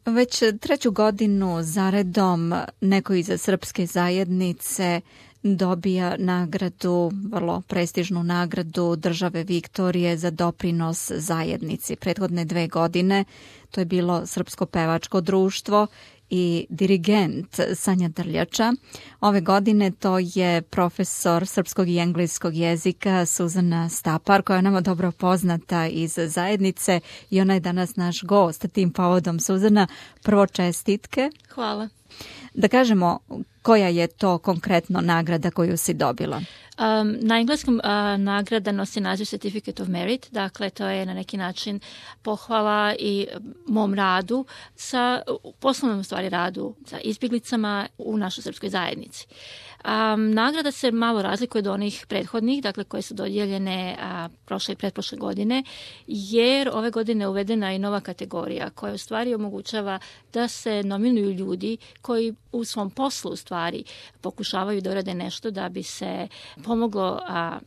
Već treću godinu zaredom neko iz srpske zajednice dobija nagradu, vrlo prestižnu nagradu države Viktorije za doprinos zajednici. Prethodne 2 godine to je bilo Srpsko pevačko društvo i dirigent Sanja Drljača. Ove godine to je profesor srpskog i engleskog jezika Suzana Stapar, koja je nama dobro poznata iz zajednice i ona je danas naš gost. Tim povodom, Suzana, prvo čestitke. Hvala. Da kažemo, koja je to konkretno nagrada koju si dobila? Na engleskom nagrada nosi naziv Certificate of Merit, dakle to je na neki način pohvala i mom radu, poslovnom stvari radu sa izbjeglicama u našoj srpskoj zajednici. Nagrada se malo razlikuje od onih prethodnih, dakle koje su dodijeljene prošle i pretprošle godine, jer ove godine je uvedena i nova kategorija koja u stvari omogućava da se nominuju ljudi koji u svom poslu u stvari pokušavaju da urade nešto da bi se pomoglo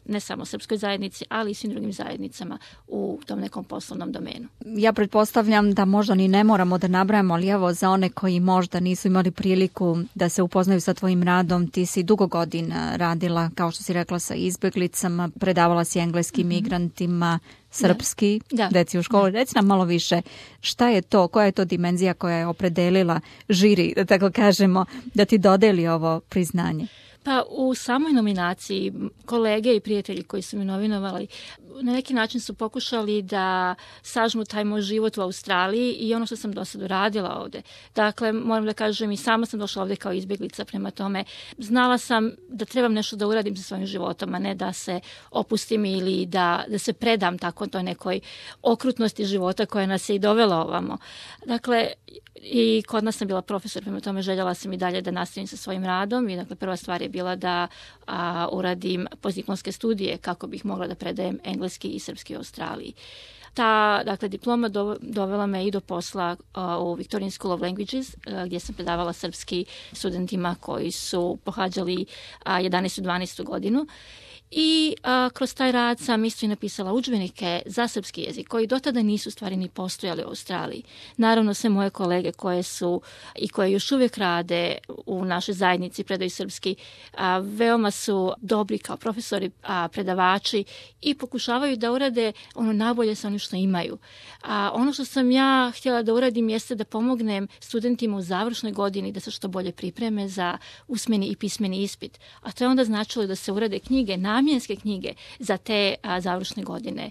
ne samo srpskoj zajednici, ali i svim drugim zajednicama u tom nekom poslovnom domenu. Ja pretpostavljam da možda ni ne moramo da nabrajamo, ali evo za one koji možda nisu imali priliku da se upoznaju sa tvojim radom, ti si dugo godina radila, kao što si rekla, sa izbjeglicama, predavala si engleskim migrantima, srpski, deci u školi. Reci nam malo više, šta je to, koja je to dimenzija koja je opredelila žiri, da tako kažemo, da ti dodeli ovo priznanje? Pa u samoj nominaciji kolege i prijatelji koji su mi nominovali na neki način su pokušali da sažmu taj moj život u Australiji i ono što sam do sada radila ovdje. Dakle, moram da kažem, i sama sam došla ovdje kao izbjeglica, prema tome znala sam da trebam nešto da uradim sa svojim životom, a ne da se opustim ili da se predam tako toj nekoj okrutnosti života koja nas je i dovela ovamo. Dakle, i kod nas sam bila profesor, prema tome željela sam i dalje da nastavim sa svojim radom i dakle prva stvar je bila da uradim postdiplomske studije kako bih mogla da predajem engleski i srpski u Australiji. Ta diploma dovela me i do posla u Victorian School of Languages, gdje sam predavala srpski studentima koji su pohađali 11. i 12. godinu. I kroz taj rad sam isto i napisala udžbenike za srpski jezik koji do tada nisu stvari ni postojali u Australiji. Naravno, sve moje kolege koje su i koje još uvijek rade u našoj zajednici predaju srpski, veoma su dobri kao profesori, predavači i pokušavaju da urade ono najbolje sa onim što imaju. Ono što sam ja htjela da uradim jeste da pomognem studentima u završnoj godini da se što bolje pripreme za usmeni i pismeni ispit. A to je onda značilo da se urade knjige, namjenske knjige za te završne godine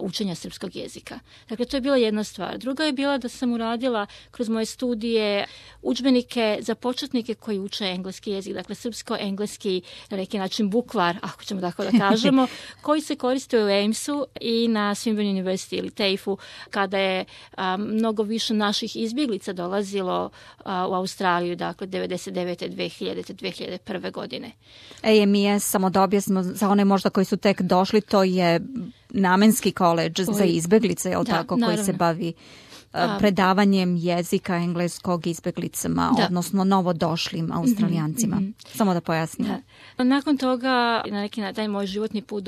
učenja srpskog jezika. Dakle, to je bila jedna stvar. Druga je bila da sam uradila kroz moje studije udžbenike za početnike koji uče engleski jezik, dakle srpsko-engleski na neki način bukvar, ako ćemo tako da kažemo, koji se koriste u Amesu i na Swinburne University ili TAFE-u kada je mnogo više naših izbjeglica dolazilo u Australiju, dakle 99. 2000. 2001. godine. AMES, samo da objasnimo za one možda koji su tek došli, to je namenski koledž za izbjeglice, je li tako, naravno, koji se bavi predavanjem jezika engleskog izbjeglicama, odnosno novodošlim Australijancima. Samo da pojasnim. Nakon toga, na neki način, taj moj životni put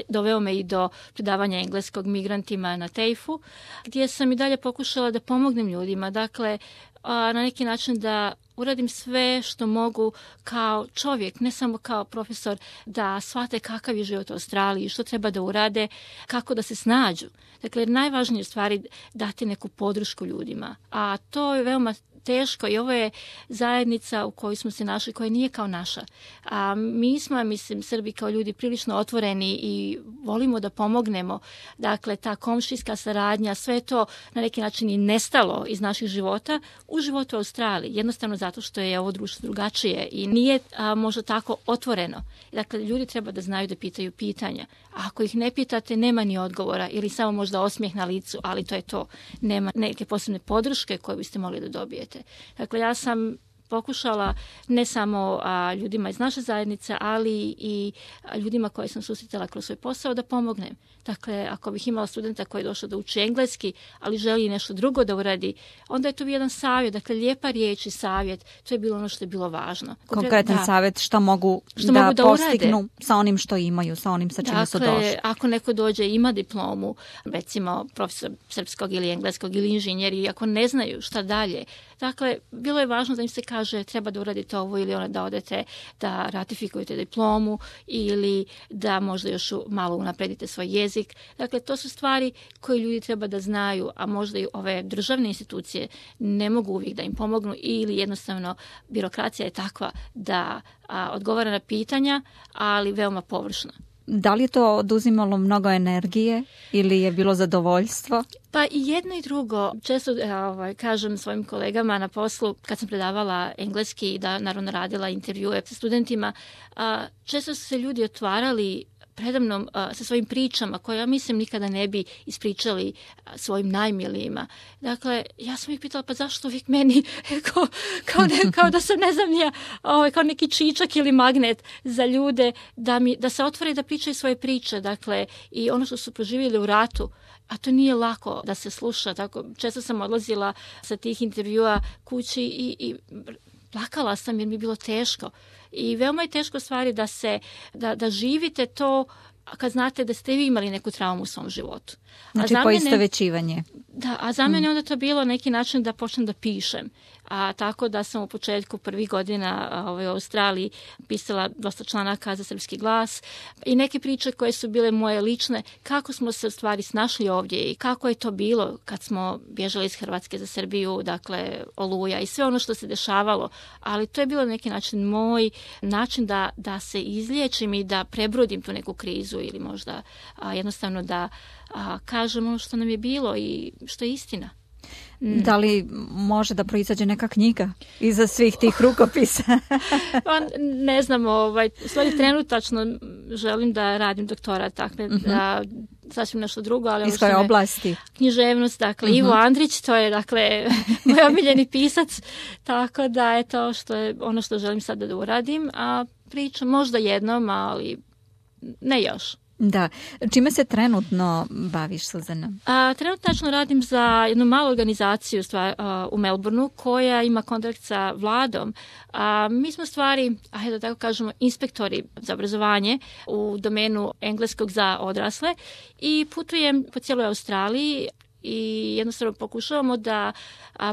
doveo me i do predavanja engleskog migrantima na TAFE-u, gdje sam i dalje pokušala da pomognem ljudima. Dakle, na neki način da uradim sve što mogu kao čovjek, ne samo kao profesor, da shvate kakav je život u Australiji, što treba da urade, kako da se snađu. Dakle, najvažnije stvari dati neku podršku ljudima, a to je veoma teško i ovo je zajednica u kojoj smo se našli, koja nije kao naša. A mi smo, mislim, Srbi kao ljudi prilično otvoreni i volimo da pomognemo. Dakle, ta komšijska saradnja, sve to na neki način i nestalo iz naših života u životu u Australiji. Jednostavno zato što je ovo društvo drugačije i nije možda tako otvoreno. Dakle, ljudi treba da znaju da pitaju pitanja. A ako ih ne pitate, nema ni odgovora ili samo možda osmijeh na licu, ali to je to. Nema neke posebne podrške koje biste mogli da dobijete. Dakle, ja sam pokušala ne samo ljudima iz naše zajednice, ali i ljudima koje sam susretala kroz svoj posao da pomognem. Dakle, ako bih imala studenta koji je došao da uči engleski, ali želi nešto drugo da uradi, onda je to bio jedan savjet, dakle lijepa riječ i savjet, to je bilo ono što je bilo važno. Konkretan savjet šta mogu da postignu urade sa onim što imaju, sa onim sa čime su došli. Dakle, ako neko dođe i ima diplomu, recimo profesor srpskog ili engleskog ili inženjer, i ako ne znaju šta dalje, dakle, bilo je važno da im se kaže treba da uradite ovo ili ono, da odete da ratifikujete diplomu ili da možda još malo unapredite svoj jezik. Dakle, to su stvari koje ljudi treba da znaju, a možda i ove državne institucije ne mogu uvijek da im pomognu ili jednostavno birokracija je takva da odgovara na pitanja, ali veoma površno. Da li je to oduzimalo mnogo energije ili je bilo zadovoljstvo? Pa i jedno i drugo. Često kažem svojim kolegama na poslu, kad sam predavala engleski i da naravno radila intervjue sa studentima, često su se ljudi otvarali predamnom sa svojim pričama koje ja mislim nikada ne bi ispričali svojim najmilijima. Dakle, ja sam ih pitala pa zašto uvijek meni kao da sam ne znam ja, kao neki čičak ili magnet za ljude da se otvore i da pričaju svoje priče. Dakle, i ono što su proživjeli u ratu, a to nije lako da se sluša. Tako, često sam odlazila sa tih intervjua kući i plakala sam jer mi je bilo teško. I veoma je teško stvari da živite to kad znate da ste vi imali neku traumu u svom životu. Znači poistovećivanje. Da, a za mene onda to bilo neki način da počnem da pišem. Tako da sam u početku prvih godina u Australiji pisala dosta članaka za Srpski glas i neke priče koje su bile moje lične, kako smo se u stvari snašli ovdje i kako je to bilo kad smo bježali iz Hrvatske za Srbiju, dakle Oluja i sve ono što se dešavalo. Ali to je bilo neki način moj način da se izliječim i da prebrodim tu neku krizu ili možda jednostavno da kažem ono što nam je bilo i što je istina. Da li može da proizađe neka knjiga iza svih tih rukopisa? Pa ne znam, stvari trenutačno želim da radim doktorat, dakle, sasvim nešto drugo, ali iz koje oblasti? Književnost, dakle, Ivo Andrić, to je, dakle, moj omiljeni pisac, tako da je to što je ono što želim sada da uradim, a pričam možda jednom, ali ne još. Da. Čime se trenutno baviš, Suzana? Trenutačno radim za jednu malu organizaciju u Melbourneu koja ima kontakt sa vladom. Mi smo stvari, da tako kažemo, inspektori za obrazovanje u domenu engleskog za odrasle i putujem po cijeloj Australiji i jednostavno pokušavamo da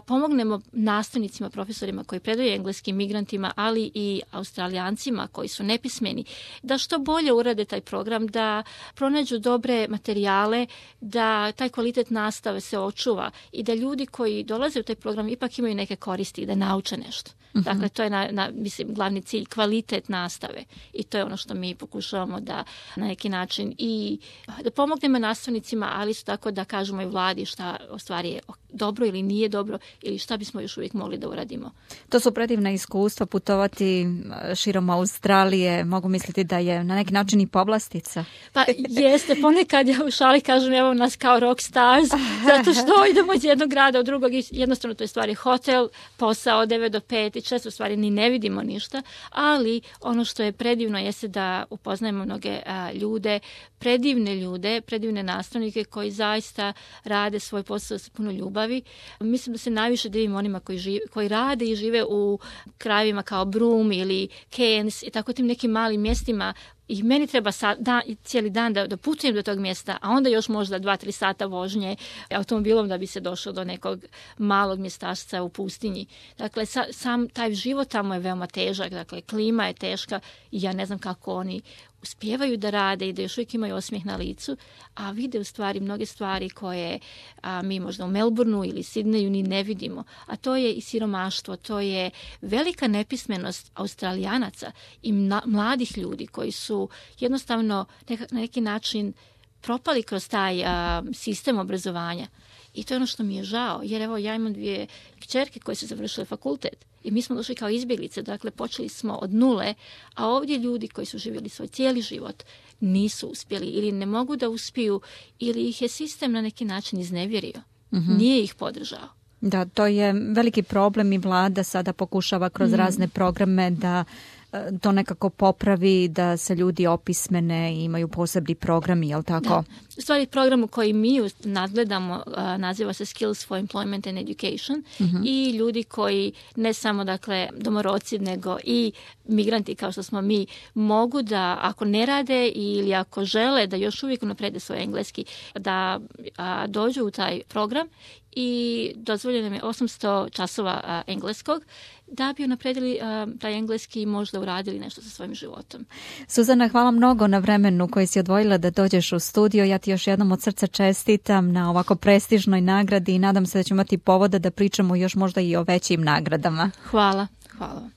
pomognemo nastavnicima, profesorima koji predaju engleski, migrantima, ali i Australijancima koji su nepismeni, da što bolje urade taj program, da pronađu dobre materijale, da taj kvalitet nastave se očuva i da ljudi koji dolaze u taj program ipak imaju neke koristi i da nauče nešto. Dakle, to je mislim, glavni cilj, kvalitet nastave. I to je ono što mi pokušavamo da na neki način i da pomognemo nastavnicima, ali isto tako da kažemo i vladi šta u stvari je dobro ili nije dobro ili šta bismo još uvijek mogli da uradimo. To su predivna iskustva, putovati širom Australije, mogu misliti da je na neki način i povlastica. Pa jeste, ponekad ja u šali kažem evo nas kao rock stars, zato što idemo iz jednog grada u drugog i jednostavno to je stvari hotel, posao od 9 do 5 i često stvari ni ne vidimo ništa, ali ono što je predivno jeste da upoznajemo mnoge ljude, predivne nastavnike koji zaista rade svoj posao sa puno ljubavi. Mislim da se najviše divim onima koji rade i žive u krajevima kao Broome ili Cairns i tako tim nekim malim mjestima. I meni treba cijeli dan da putujem do tog mjesta, a onda još možda 2-3 sata vožnje automobilom da bi se došao do nekog malog mjestašca u pustinji. Dakle, sam taj život tamo je veoma težak, dakle, klima je teška i ja ne znam kako oni uspijevaju da rade i da još uvijek imaju osmijeh na licu, a vide u stvari mnoge stvari koje mi možda u Melbourneu ili Sidneju ni ne vidimo. A to je i siromaštvo, to je velika nepismenost Australijanaca i mladih ljudi koji su jednostavno na neki način propali kroz taj sistem obrazovanja. I to je ono što mi je žao, jer evo ja imam 2 kćerke koje su završile fakultet i mi smo došli kao izbjeglice, dakle počeli smo od nule, a ovdje ljudi koji su živjeli svoj cijeli život nisu uspjeli ili ne mogu da uspiju ili ih je sistem na neki način iznevjerio, nije ih podržao. Da, to je veliki problem i vlada sada pokušava kroz razne programe da to nekako popravi, da se ljudi opismene i imaju posebni programi, jel tako? Da. U stvari program koji mi nadgledamo naziva se Skills for Employment and Education i ljudi koji ne samo dakle domorodci nego i migranti kao što smo mi mogu da ako ne rade ili ako žele da još uvijek unaprede svoj engleski da dođu u taj program i dozvoljeno nam je 800 časova engleskog da bi unapredili taj engleski i možda uradili nešto sa svojim životom. Suzana, hvala mnogo na vremenu koji si odvojila da dođeš u studio. Ja ti još jednom od srca čestitam na ovako prestižnoj nagradi i nadam se da ćemo imati povoda da pričamo još možda i o većim nagradama. Hvala. Hvala.